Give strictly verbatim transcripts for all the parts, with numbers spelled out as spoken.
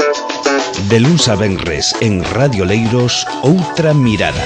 De luns a venres en Radio Leiros, Outra Mirada.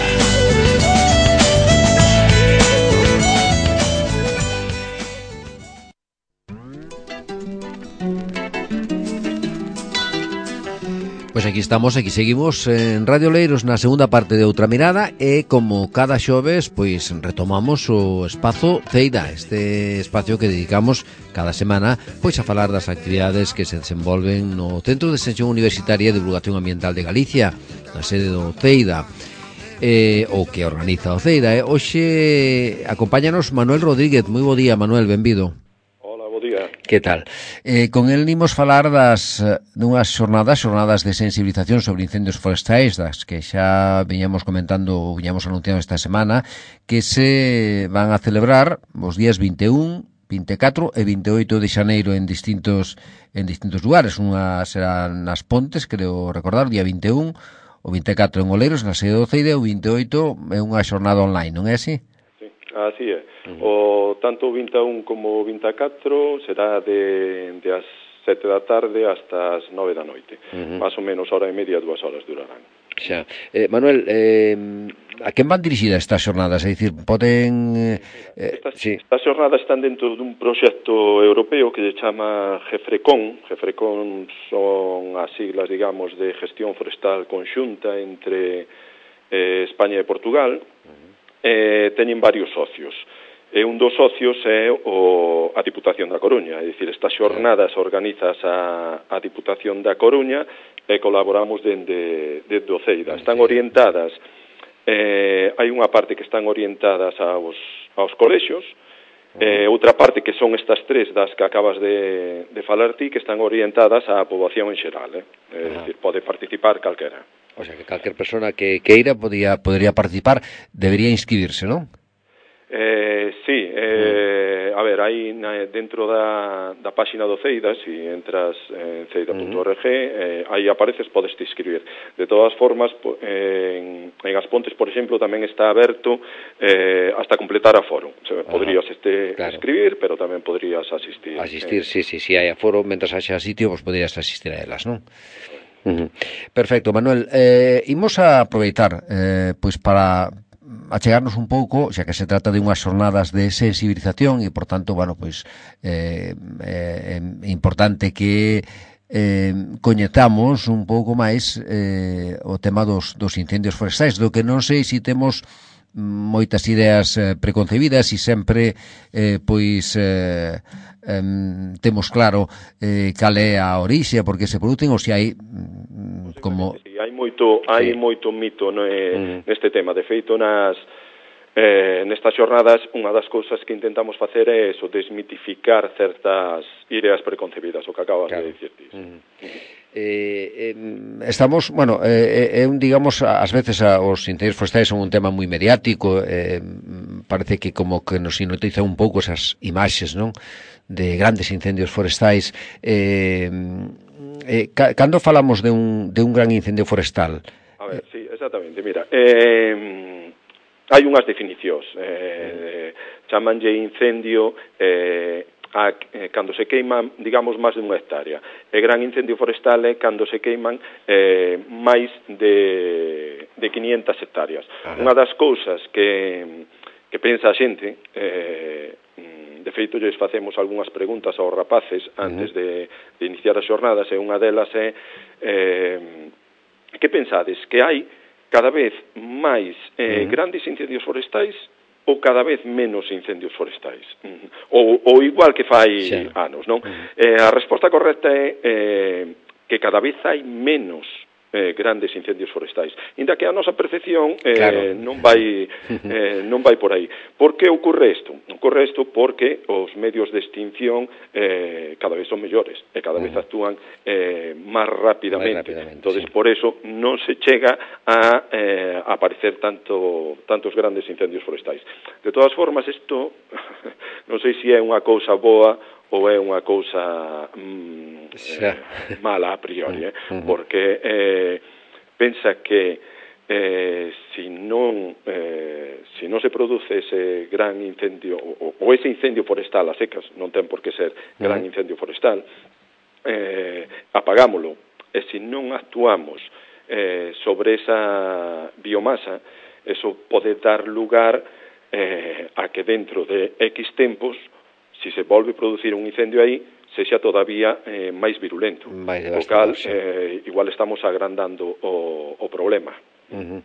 Pois aquí estamos, aquí seguimos en Radio Leiros na segunda parte de Outra Mirada e como cada xoves, pois retomamos o espazo Ceida, este espacio que dedicamos cada semana pois a falar das actividades que se desenvolven no Centro de Extensión Universitaria de Divulgación Ambiental de Galicia, na sede do Ceida, eh, o que organiza o Ceida. Eh. Hoxe acompáñanos Manuel Rodríguez. Moi bo día, Manuel, benvido. Que tal? Eh, con el nimos falar das dunhas xornadas, xornadas de sensibilización sobre incendios forestais, das que xa viñamos comentando ou viñamos anunciando esta semana, que se van a celebrar os días vinte e un, vinte e catro e vinte e oito de xaneiro en distintos en distintos lugares. Unha será nas Pontes, creo recordar, o día vinte e un, o vinte e catro en Oleiros, na sede do Ceide, o vinte e oito é unha xornada online, non é así? Así é. O tanto o vinte e un como o vinte e catro será de, de as sete da tarde hasta as nove da noite. Uh -huh. Más ou menos hora e media, dúas horas durarán. Xa. Eh, Manuel, eh, a quen van dirixidas estas xornadas? É dicir, poden... Eh, estas, sí. estas xornadas están dentro dun proxecto europeo que se chama GEFRECON. GEFRECON son as siglas, digamos, de gestión forestal conxunta entre eh, España e Portugal. Eh, teñen varios socios e un dos socios é o, a Diputación da Coruña, é dicir, estas xornadas organizas a, a Diputación da Coruña e colaboramos dende, dende o Ceida. Están orientadas, eh, hai unha parte que están orientadas aos, aos colexios, e eh, outra parte que son estas tres das que acabas de, de falar ti, que están orientadas á poboación en xeral, eh? É dicir, pode participar calquera. O sea, que calquer persona que queira podía, podría participar, debería inscribirse, non? Eh, sí, eh, a ver, aí na, dentro da, da páxina do Ceida, se si entras en ceida punto org, eh, aí apareces, podes te inscribir. De todas formas, en, en As Pontes, por exemplo, tamén está aberto eh, hasta completar aforo. O sea, podrías este, claro. escribir, pero tamén podrías asistir. Asistir, eh. sí, sí, sí, hai aforo, mentras haxa sitio, pues podrías asistir a elas, non? Uh-huh. Perfecto, Manuel. Eh, imos a aproveitar eh, pois para achegarnos un pouco, xa que se trata de unhas xornadas de sensibilización e, por tanto, bueno, pois eh, é eh, importante que eh, coñezamos un pouco máis eh, o tema dos, dos incendios forestais, do que non sei se temos moitas ideas eh, preconcebidas e sempre eh, pois eh, eh, temos claro eh, cal é a orixe, por que se producen, ou se hai como... Sí, hai moito, hai sí. moito mito no, eh, mm. neste tema. De feito, nas eh, nestas xornadas, unha das cousas que intentamos facer é eso, desmitificar certas ideas preconcebidas, o que acabas claro. de dicir ti. Mm. Eh, eh, estamos, bueno, eh, eh, digamos, ás veces a, os incendios forestais son un tema moi mediático, eh, parece que como que nos hipnotiza un pouco esas imaxes, non? De grandes incendios forestais. Eh, eh, cando falamos de un, de un gran incendio forestal? A ver, sí, exactamente, mira, eh, hai unhas definicións, eh, chamanlle incendio eh, a, eh, cando se queiman, digamos, máis de unha hectárea. E gran incendio forestal é cando se queiman eh, máis de, de quinientas hectáreas. Ajá. Unha das cousas que, que pensa a xente, eh, de feito, lles facemos algunhas preguntas aos rapaces antes de, de iniciar as xornadas, e unha delas é eh, que pensades, que hai cada vez máis eh, grandes incendios forestais ou cada vez menos incendios forestais, ou, ou igual que fai sí. anos, non? Uh-huh. Eh, a resposta correcta é eh, que cada vez hai menos eh, grandes incendios forestais, inda que a nosa percepción eh, claro. non vai eh, non vai por aí. Por que ocorre isto? Ocorre isto porque os medios de extinción eh, cada vez son mellores e cada vez actúan eh, máis rapidamente. Entonces, sí. por eso non se chega a, eh, a aparecer tanto tantos grandes incendios forestais. De todas formas, isto non sei se é unha cousa boa ou é unha cousa mm, eh, mala a priori, eh? porque eh, pensa que eh, si non eh, si non se produce ese gran incendio ou, ou ese incendio forestal a secas, non ten por que ser gran incendio forestal, eh, apagámolo e se non actuamos eh, sobre esa biomasa, eso pode dar lugar eh, a que dentro de X tempos, se se volve a producir un incendio aí, sexa todavía eh, máis virulento. O cal, eh, igual estamos agrandando o, o problema. Uh-huh.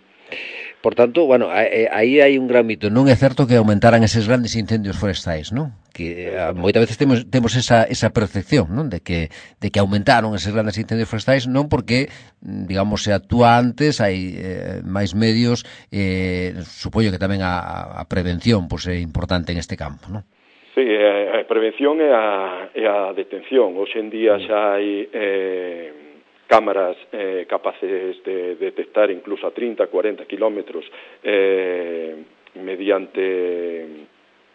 Por tanto, bueno, aí hai un gran mito. Non é certo que aumentaran eses grandes incendios forestais, non? Que a, moitas veces temos temos esa esa percepción, non? De que de que aumentaron eses grandes incendios forestais non porque, digamos, se actúa antes, hai eh, máis medios, eh, supoño que tamén a, a prevención pois é importante en este campo, non? Sí, a prevención e a, e a detención. Hoxe en día xa hai eh, cámaras eh, capaces de detectar incluso a trinta, cuarenta kilómetros eh, mediante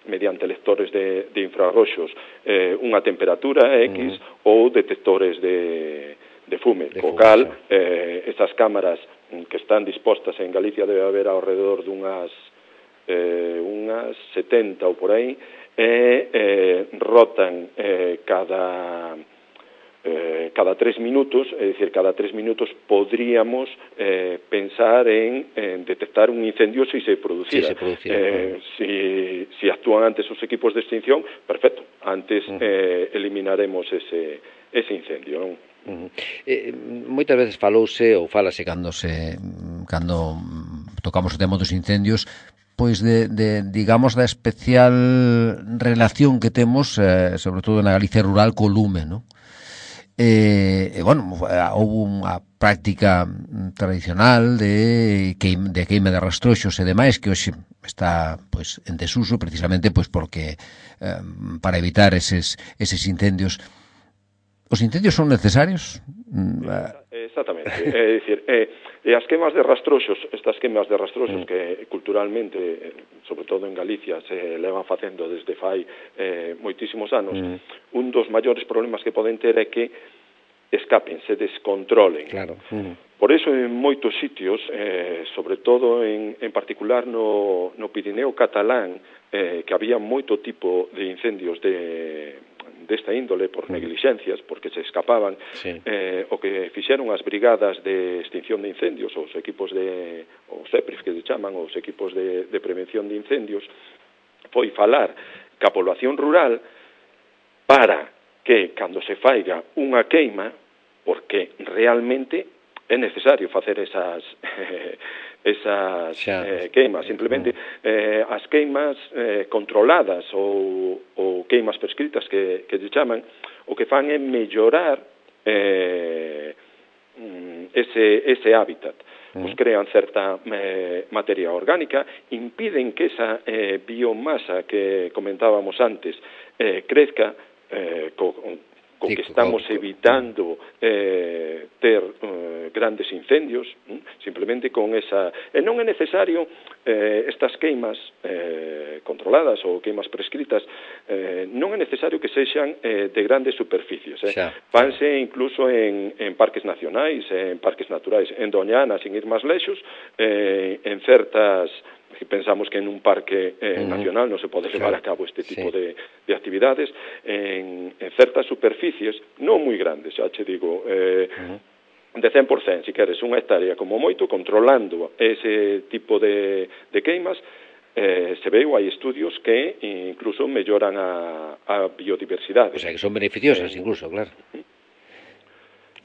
mediante lectores de, de infrarroxos eh, unha temperatura X mm. ou detectores de, de fume. De o cal, eh, esas cámaras que están dispostas en Galicia debe haber ao redor dunhas eh, unhas setenta ou por aí, e eh, rotan eh, cada eh, cada tres minutos, é dicir, cada tres minutos podríamos eh, pensar en, en detectar un incendio se se producira. Si, se producira. Eh, si, si actúan antes os equipos de extinción, perfecto, antes uh-huh. eh, eliminaremos ese, ese incendio, non? Uh-huh. Eh, moitas veces falouse ou falase cando se cando tocamos o tema dos incendios, pois de, de digamos da especial relación que temos eh, sobre todo na Galicia rural co lume, non? Eh, e, bueno, houve unha práctica tradicional de queima de, queima de rastroxos e demais que hoxe está pois en desuso precisamente pois porque eh, para evitar eses eses incendios. Os incendios son necesarios? Exactamente, é dicir, eh, e as quemas de rastroxos, estas quemas de rastroxos mm. que culturalmente, sobre todo en Galicia, se levan facendo desde fai eh, moitísimos anos, mm. un dos maiores problemas que poden ter é que escapen, se descontrolen. Claro. Mm. Por eso en moitos sitios, eh, sobre todo en, en particular no, no Pirineo catalán, eh, que había moito tipo de incendios de desta índole por negligencias, porque se escapaban, sí. eh, o que fixeron as brigadas de extinción de incendios, os equipos de, os E P R I F que se chaman, os equipos de, de prevención de incendios, foi falar ca población rural para que, cando se faiga unha queima, porque realmente é necesario facer esas eh, esas eh, queimas, simplemente eh, as queimas eh, controladas ou, ou queimas prescritas que, que se chaman, o que fan é mellorar eh, ese, ese hábitat. Pues crean certa eh, materia orgánica, impiden que esa eh, biomasa que comentábamos antes eh, crezca eh, co, co que estamos evitando eh, ter eh, grandes incendios, hm? simplemente con esa... E non é necesario eh, estas queimas eh, controladas ou queimas prescritas, eh, non é necesario que sexan eh, de grandes superficies. Eh? Vanse incluso en, en parques nacionais, en parques naturais, en Doñana, sin ir máis lexos, eh, en certas... que pensamos que en un parque eh, uh-huh. nacional non se pode levar claro. a cabo este tipo sí. de, de actividades en, en certas superficies, non moi grandes, xa che digo, eh, uh-huh. de cen por cento, si queres, unha hectárea como moito, controlando ese tipo de, de queimas, eh, se veu, hai estudios que incluso melloran a, a biodiversidade. O sea, que son beneficiosas eh, incluso, claro. Uh-huh.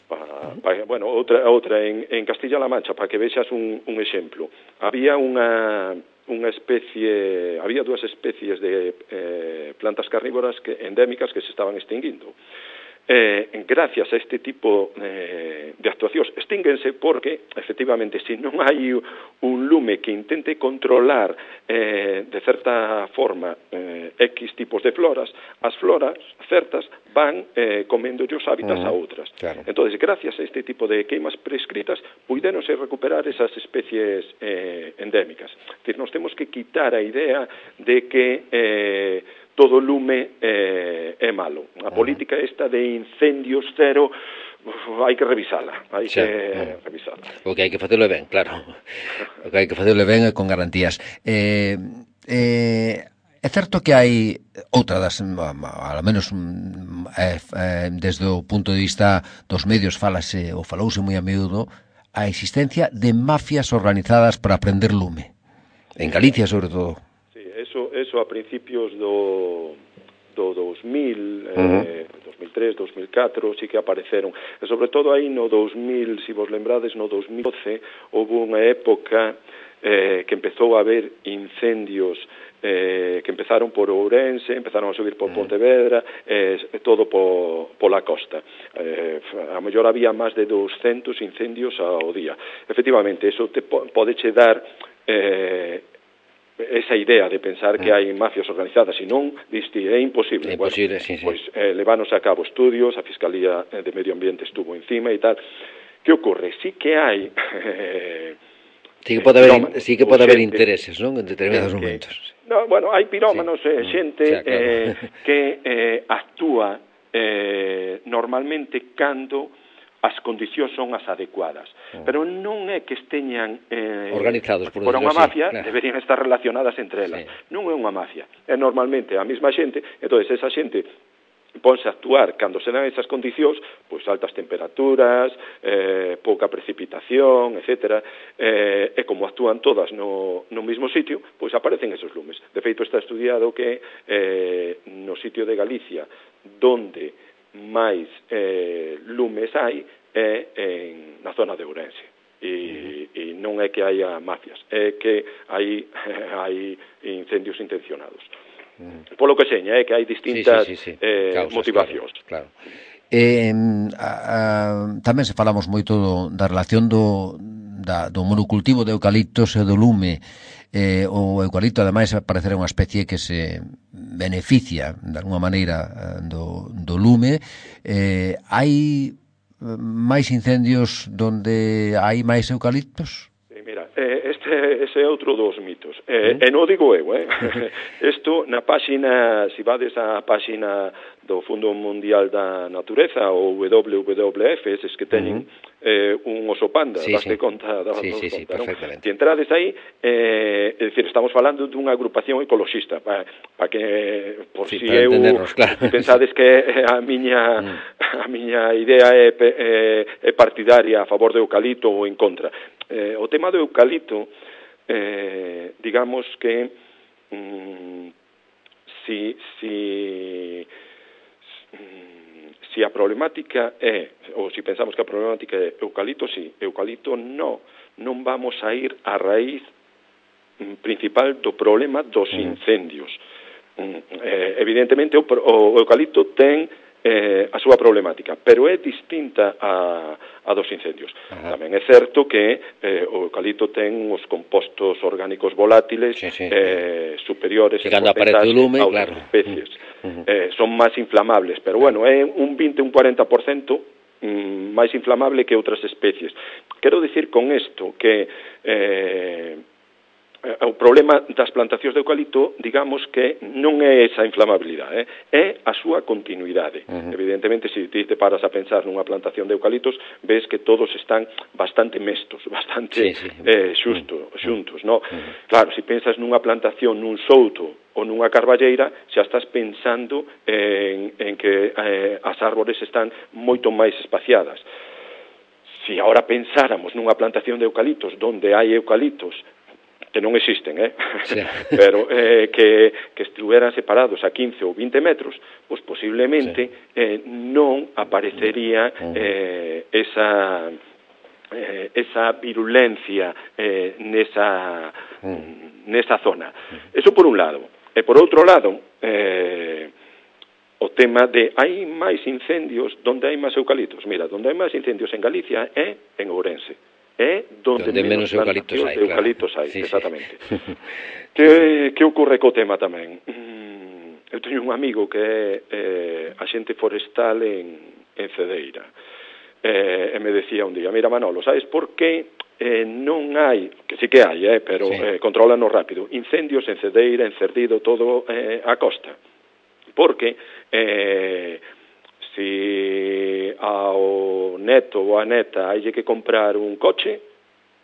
Pa, pa, bueno, outra outra en, en Castilla-La Mancha, para que vexas un, un exemplo. Había unha unha especie, había dúas especies de eh, plantas carnívoras que endémicas que se estaban extinguindo. Eh, gracias a este tipo eh, de actuacións extínguense porque, efectivamente, se non hai un lume que intente controlar eh, de certa forma eh, X tipos de floras, as floras certas van eh, comendo os hábitats uh-huh. a outras. Claro. Entón, gracias a este tipo de queimas prescritas, puideronse recuperar esas especies eh, endémicas. Es decir, nos temos que quitar a idea de que eh, todo lume eh, é malo. A política esta de incendios cero, uf, hai que revisala, hai sí, que uh, revisala. O que hai que facelo ben, claro. O que hai que facelo ben con garantías. Eh, eh, é certo que hai outra das, ao menos eh, eh, desde o punto de vista dos medios falase, ou falouse moi a miúdo, a existencia de mafias organizadas para prender lume. En Galicia, sobre todo. Sí, eso, eso a principios do, do dos mil, uh-huh. eh, dos mil tres, dos mil catro, sí que apareceron. E sobre todo aí no dos mil, se vos lembrades, no dos mil doce, houve unha época eh, que empezou a haber incendios eh, que empezaron por Ourense, empezaron a subir por Pontevedra, eh, todo po, pola costa. Eh, a mellor había máis de doscientos incendios ao día. Efectivamente, eso te po, podeche dar eh, esa idea de pensar que hai mafias organizadas, e non, diste, é imposible. É imposible, bueno, sí, sí. Pois eh, levanos a cabo estudios, a Fiscalía de Medio Ambiente estuvo encima e tal. Que ocorre? Sí que hai... Eh, sí que pode haber, sí que pode haber intereses, non? En determinados que, momentos. No, bueno, hai pirómanos, sí. eh, xente sí, claro. eh, que eh, actúa eh, normalmente cando as condicións son as adecuadas. Oh. Pero non é que esteñan eh, organizados por, por unha mafia, claro. Deberían estar relacionadas entre elas. Sí. Non é unha mafia, é normalmente a mesma xente, entonces esa xente ponse a actuar cando se dan esas condicións, pois altas temperaturas, eh, pouca precipitación, etcétera, eh, e como actúan todas no, no mesmo sitio, pois aparecen esos lumes. De feito, está estudiado que eh, no sitio de Galicia donde máis eh, lumes hai é en, na zona de Ourense. E, e non é que haya mafias, é que hai, hai incendios intencionados. Mm. Polo que seña, é que hai distintas sí, sí, sí, sí. Eh, Causas, motivacións. Claro, claro. Eh, a, a, tamén se falamos moito do, da relación do, da, do monocultivo de eucaliptos e do lume. Eh, o eucalipto, ademais, parecer unha especie que se beneficia de alguma maneira do, do lume. Eh, hai máis incendios donde hai máis eucaliptos? Mira, eh, este ese é outro dos mitos. Eh, ¿Mm? E non digo eu, eh. Isto na páxina, se vades á páxina do Fondo Mundial da Natureza, o W W F, eses que teñen uh-huh. eh, un oso panda, sí, daste sí. conta da sí, sí, conta, sí, non? Si entrades aí, eh, é dicir, estamos falando dunha agrupación ecoloxista, para pa que, por sí, si eu, claro. si pensades que a miña mm. a miña idea é, é, é partidaria a favor do eucalipto ou en contra. Eh, o tema do eucalipto, eh, digamos que mm, si, si, si a problemática é, ou si pensamos que a problemática é eucalipto, si, eucalipto no, non vamos a ir a raíz principal do problema dos incendios. Mm, eh, evidentemente o, o eucalipto ten Eh, a súa problemática, pero é distinta a, a dos incendios. Ajá. Tamén é certo que eh, o eucalipto ten os compostos orgánicos volátiles sí, sí, eh, sí. superiores en porcentaxe a outras claro. especies. Uh-huh. Eh, son máis inflamables, pero bueno, é un vinte, un cuarenta por cento mm, máis inflamable que outras especies. Quero dicir con isto que eh, o problema das plantacións de eucalipto, digamos que non é esa inflamabilidade, eh? É a súa continuidade. Uh-huh. Evidentemente, se ti te paras a pensar nunha plantación de eucaliptos, ves que todos están bastante mestos, bastante sí, sí. Eh, xusto, uh-huh. xuntos, no? Uh-huh. Claro, se pensas nunha plantación nun souto ou nunha carballeira, xa estás pensando en, en que eh, as árbores están moito máis espaciadas. Se agora pensáramos nunha plantación de eucaliptos onde hai eucaliptos que non existen, eh? Sí. Pero eh, que, que estuveran separados a quince ou vinte metros, pois posiblemente sí. eh, non aparecería eh, esa eh, esa virulencia eh, nesa nesa zona. Eso por un lado. E por outro lado, eh, o tema de hai máis incendios donde hai máis eucaliptos. Mira, donde hai máis incendios en Galicia é en Ourense. É donde, donde menos, menos eucaliptos hai, eucaliptos claro. hai, Sí, exactamente. Sí. que, que ocorre co tema tamén? Mm, eu teño un amigo que é eh, axente forestal en, en Cedeira, eh, e me decía un día, mira Manolo, sabes por que eh, non hai, que sí que hai, eh, pero sí. eh, controlanos rápido, incendios en Cedeira, en Cerdido, todo eh, a costa? Porque eh, si ao neto ou a neta hai que comprar un coche,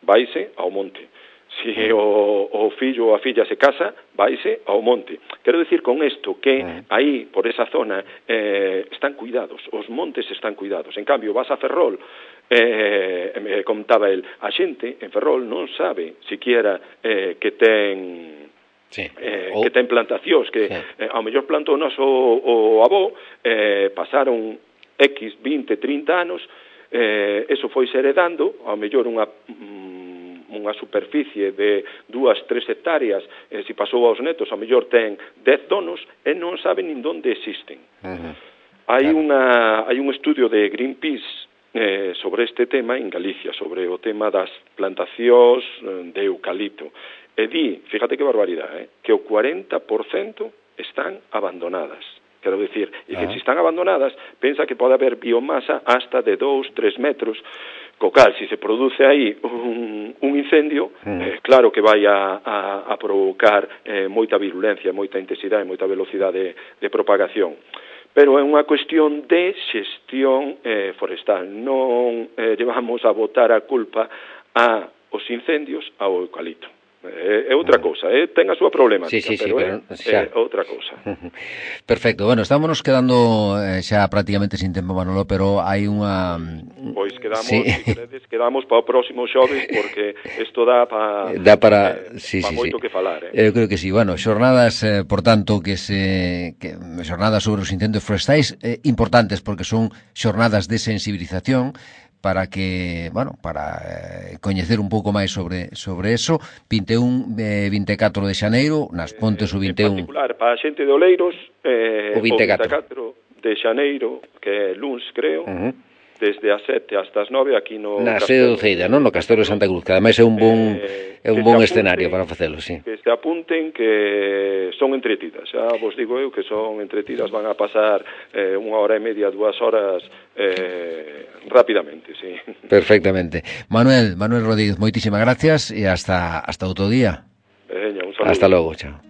vaise ao monte. Si o, o fillo ou a filla se casa, vaise ao monte. Quero decir con isto que aí, por esa zona, eh, están cuidados, os montes están cuidados. En cambio, vas a Ferrol, eh, me contaba el, a xente en Ferrol non sabe siquiera eh, que ten... Sí. Eh, oh. que ten plantacións, que sí. eh, ao mellor plantou o noso o, o avó, eh, pasaron X, vinte, trinta anos, eh, eso foi se heredando, ao mellor unha... unha superficie de dúas, tres hectáreas, eh, se pasou aos netos, ao mellor ten dez donos e non saben nin onde existen. Uh-huh. Hai, claro. unha, hai un estudio de Greenpeace eh, sobre este tema en Galicia, sobre o tema das plantacións de eucalipto. E di, fíjate que barbaridade, eh, que o cuarenta por cento están abandonadas. Quero dicir, e que uh-huh. se están abandonadas, pensa que pode haber biomasa hasta de dous, tres metros, co cal, se se produce aí un, un incendio, mm. eh, claro que vai a, a, a provocar eh, moita virulencia, moita intensidade, moita velocidade de, de propagación. Pero é unha cuestión de xestión eh, forestal. Non eh, llevamos a botar a culpa a os incendios ao eucalipto. É, é outra cousa, eh? ten a súa problemática, sí, sí, sí, pero, pero é, é outra cousa. Perfecto, bueno, estámonos quedando eh, xa prácticamente sin tempo, Manolo, pero hai unha... Pois quedamos, sí. si queredes, quedamos para o próximo xoves, porque isto dá para dá para, eh, sí, para sí, moito sí. que falar. Eu Eh? creo que sí, bueno, xornadas, eh, por tanto, que se que, xornadas sobre os incendios forestais eh, importantes, porque son xornadas de sensibilización, para que, bueno, para eh, coñecer un pouco máis sobre sobre eso. vinte e un, eh, vinte e catro de xaneiro, nas Pontes o vinte e un. En particular, para a xente de Oleiros, eh, o vinte e catro. o vinte e catro de xaneiro, que é luns, creo, uh-huh. desde as sete hasta as nove aquí no na sede do Ceida, non? No Castelo de Santa Cruz, que ademais é un bon eh, é un bon apunten, escenario para facelo, sí. Que se apunten que son entretidas, xa vos digo eu que son entretidas, van a pasar eh, unha hora e media, dúas horas eh, rapidamente, sí. Perfectamente. Manuel, Manuel Rodríguez, moitísimas gracias e hasta hasta outro día. Veña, un saludo. Hasta logo, chao.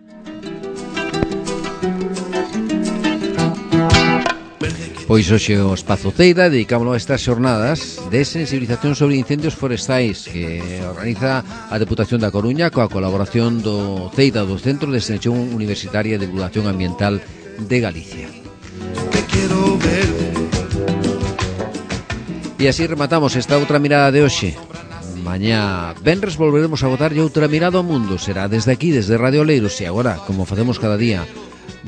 Pois hoxe o Espazo Ceida dedicámoslo a estas xornadas de sensibilización sobre incendios forestais que organiza a Deputación da Coruña coa colaboración do Ceida, do Centro de Extensión Universitaria de Divulgación Ambiental de Galicia. E así rematamos esta outra mirada de hoxe. Mañá venres volveremos a botarlle outra mirada ao mundo. Será desde aquí, desde Radio Oleiros. E agora, como facemos cada día,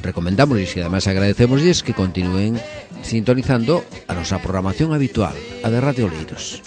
recomendámosles e además agradecémosles que continúen sintonizando a nosa programación habitual, a de Radio Oleiros.